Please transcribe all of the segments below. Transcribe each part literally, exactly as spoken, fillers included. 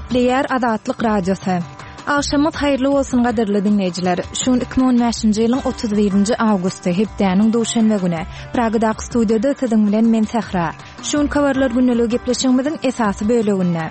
Gepleýär Azatlyk Radiosy. Agşamyňyz haýyrly bolsun gadyrly diňleýjiler. Şu gün iki müň on bäşinji ýylyň otuz birinji awgusty, hepdäniň duşenbe güni. Pragadaky studiýada siziň bilen men Sähra. Şu gün Habarlar gündeligi gepleşigimiziň esasy böleginde.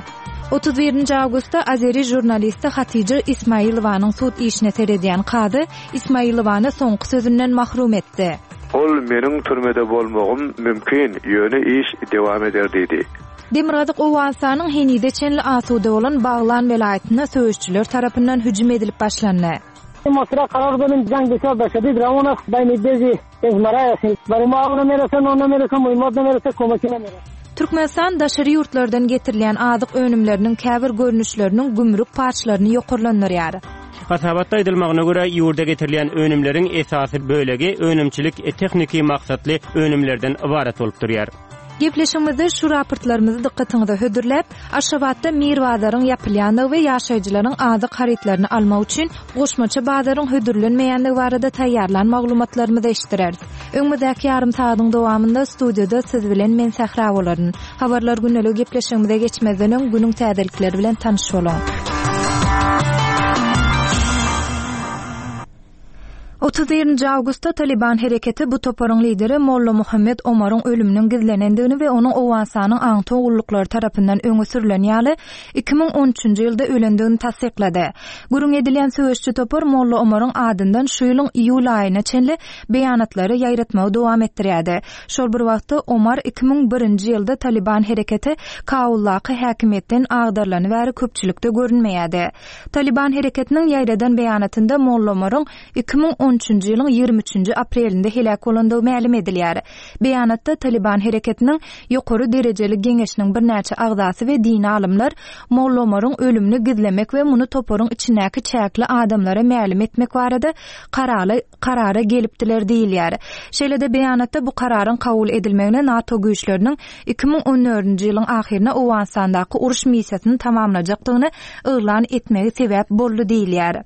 Otuz birinji awgustda azeri žurnalisti Hatija Ismailowanyň sud işine seredýän kazy Ismailowany soňky sözünden mahrum etdi. Ol meniň türmede bolmagym mümkin, ýöne iş dewam eder diýdi. Demirgazyk Owganystanyň henize çenli asuda bolan Baglan welaýatynda söweşçiler tarapyndan hüjüm edilip başlandy. Mosra karar benim jang bisar başady drawona bayni bezi ezmaraya barima ona merese ona merese muhimmat merese komakine merese. Türkmenistan daşary ýurtlardan getirilýän azyk önümleriniň käbir görnüşleriniň gümrük paçlaryny ýokarlandyrýar. Hasabatda aýdylmagyna görä ýurda getirilýän önümleriň esasy bölegi önümçilik tehniki maksatly önümlerden ybarat bolup durýar. Gepleşigimizde şu raportlarymyzy dykgatyňyza hödürläp, Aşgabatda Mir bazaryň ýapylýandygy we ýaşaýjylaryň azyk harytlaryny almak üçin goşmaça bazaryň hödürlenmeýändigi barada taýýarlan maglumatlarymyzy eşitdireris. Öňümizdäki ýarym sagatyň dowamynda studiýada siz bilen men Sähra bolaryn. Habarlar gündeligi gepleşigimize geçmezden öň günüň täzelikleri bilen tanyş boluň. Otuz birinji awgustda Taliban hereketi bu toparyň lideri Molla Muhammed Omaryň ölüminiň gizlenendigini we onuň Owganystanyň aňtaw gulluklary tarapyndan öňe sürülen ýaly iki müň on üçünji ýylda ölendigini tassyklady. Gürrüň edilýän söweşçi topar Molla Omaryň adyndan şu ýylyň iýul aýyna çenli beýanatlary ýaýratmagy dowam etdirýärdi. Şol bir wagtda Omar iki müň birinji ýylda Taliban hereketi Kabuldaky häkimiýetden agdarlany bäri köpçülikde görünmeýärdi. Taliban hereketiniň ýaýradan beýanatynda Molla Omaryň iki müň on üçünji ýylyň ýigrimi üçünji aprelinde heläk bolandygy mälim edilýär. Beýanatda Taliban hereketiniň ýokary derejeli geňeşiniň birnäçe agzasy we dini alymlar Molla Omaryň ölümini gizlemek we muny toparyň içindäki çäkli adamlara mälim etmek barada karara, karara gelipdiler diýilýär. Şeýle-de beýanatda bu kararyň kabul edilmegine NATO güýçleriniň iki müň on dördünji ýylyň ahyryna Owganystandaky uruş missiýasyny tamamlajakdygyny yglan etmegi sebäp boldy diýilýär.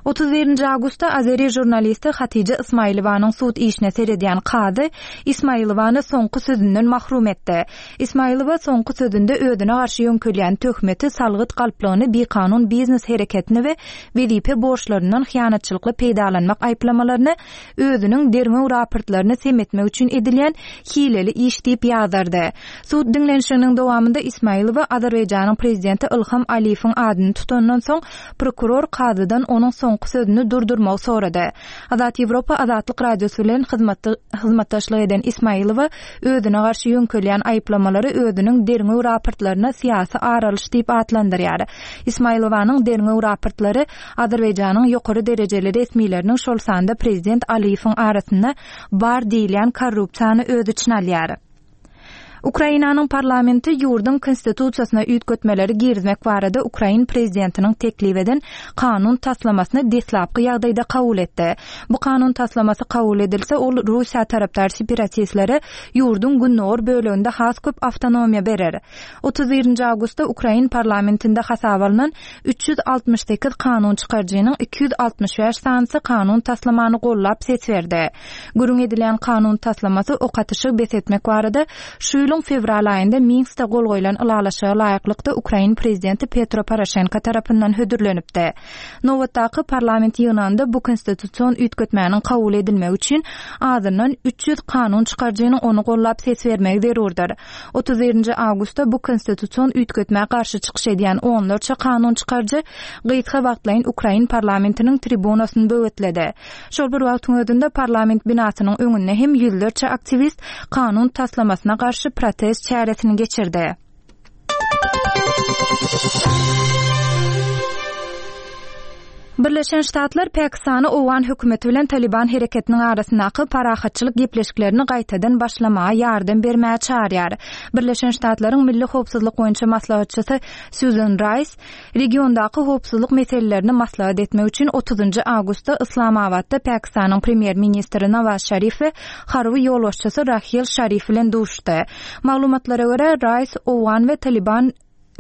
Otuz birinji awgustda azeri žurnalisti Hatija Ismailowanyň sud işine seredýän kazy Ismailowany soňky sözünden mahrum etdi. Ismailowa soňky sözünde özüne garşy ýöňkelýän töhmeti, salgyt galplygyny, bikanun biznes hereketini we wezipe borçlaryndan hyýanatçylykly peýdalanmak aýyplamalaryny özüniň derňew raportlaryny sem etmek üçin edilýän hileli iş diýip ýazardy. Sud diňlenişiginiň dowamynda Ismailowa Azerbaýjanyň prezidenti Ilham Aliýewiň adyny tutandan soň prokuror kazydan onuň soňky sözüni durdurmagy sorady. Azat Ýewropa Azatlyk Radiosy bilen hyzmatda-, hyzmatdaşlyk eden Ismailowa özüne garşy ýöňkelýän aýyplamalary özüniň derňew raportlaryna syýasy aralyş diýip atlandyrýar. Ismailowanyň derňew raportlary Azerbaýjanyň ýokary derejeli resmileriniň şol sanda prezident Aliýewiň arasynda bar diýilýän korrupsiýany öz içine alýar. Ukrainanyň parlamenti ýurduň konstitusiýasyna üýtgetmeleri girizmek barada Ukrain prezidentiniň teklip eden kanun taslamasyny deslapky ýagdaýda kabul etdi. Bu kanun taslamasy kabul edilse, ol Russiýa tarapdar separatistlere ýurduň gündogar böleginde has köp awtonomiýa berer. Otuz birinji awgustda Ukrain parlamentinde hasaba alynan üç ýüz altmyş sekiz kanun çykaryjynyň iki ýüz altmyş bäş sanysy kanun taslamany gollap ses berdi. Gürrüň edilen kanun taslamasy ok atyşy bes etmek barada şu ýylyň fewral aýynda Minskde gol goýlan ylalaşyga laýyklykda Ukrain prezidenti Petro Poroşenko tarapyndan hödürlenipdi. Nobatdaky parlament ýygnagynda bu konstitusion üýtgetmäniň kabul edilmegi üçin azyndan üç ýüz kanun çykaryjynyň ony gollap ses bermegi zerurdyr. Otuz birinji awgustda bu konstitusion üýtgetmä garşy çykyş edýän onlarça kanun çykaryjy gysga wagtlaýyn Ukrain parlamentiniň tribunasyny böwetledi. Şol bir wagtyň özünde parlament binasynyň öňünde hem ýüzlerçe aktiwist kanun taslamasyna garşy protest çäresini geçirdi. Birleşen Ştatlar Pakistany Owgan hökümeti bilen Taliban hereketiniň arasyndaky parahatçylyk gepleşiklerini gaýtadan başlamaga ýardam bermäge çağırýar. Birleşen Ştatlaryň Milli Howpsuzlyk boýunça maslahatçysy Susan Rice regiondaky howpsuzlyk meselelerini maslahat etmek üçin otuzynjy awgustda Islamabatda Pakistanyň premýer-ministri Nawaz Şarif we harby ýolbaşçysy Rahil Şarif bilen duşdy. Maglumatlara görä Rice Owgan we Taliban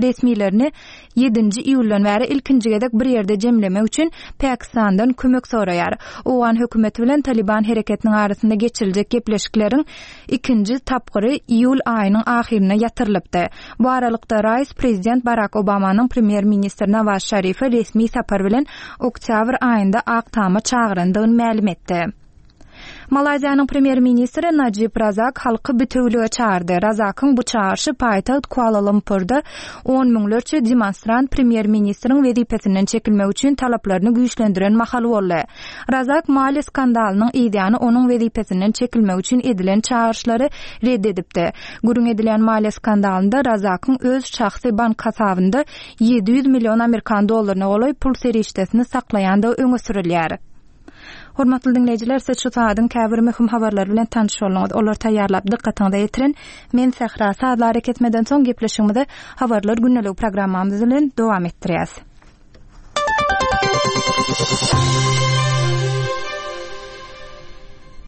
resmilerini ýedinji iýuldan bäri ilkinji gezek bir ýerde jemlemek üçin Pakistandan kömek soraýar. Owgan hökümeti bilen Taliban hereketiniň arasynda geçiriljek gepleşikleriň ikinji tapgyry iýul aýynyň ahyryna ýatyrylypdy. Bu aralykda Raýs prezident Barak Obamanyň premýer-ministr Nawaz Şarifi resmi sapar bilen oktýabr aýynda Ak Tama çagyrandygyny mälim etdi. Malaýziýanyň premýer-ministri Najib Razak halky bitewülige çagyrdy. Razakyň bu çagyryşy paýtagt Kuala-Lumpurda on müňlerçe demonstrant premýer-ministriň wezipesinden çekilmegi üçin talaplaryny güýçlendiren mahaly boldy. Razak maliýe skandalynyň yzýany onuň wezipesinden çekilmegi üçin edilen çagyryşlary red edipdi. Gürrüň edilýän maliýe skandalynda Razakyň öz şahsy bank hasabynda ýedi ýüz million amerikan dollaryna golaý pul serişdesini saklaýandygy öňe sürülýär. Hormatly diňleýjiler, siz şu sagadyň käbir möhüm habarlary bilen tanyş bolduňyz. Olary taýýarlap dykgatyňyza ýetiren men Sähra. Sazly arakesmeden soň gepleşigimizi Habarlar gündeligi programmamyz bilen dowam etdirýäs.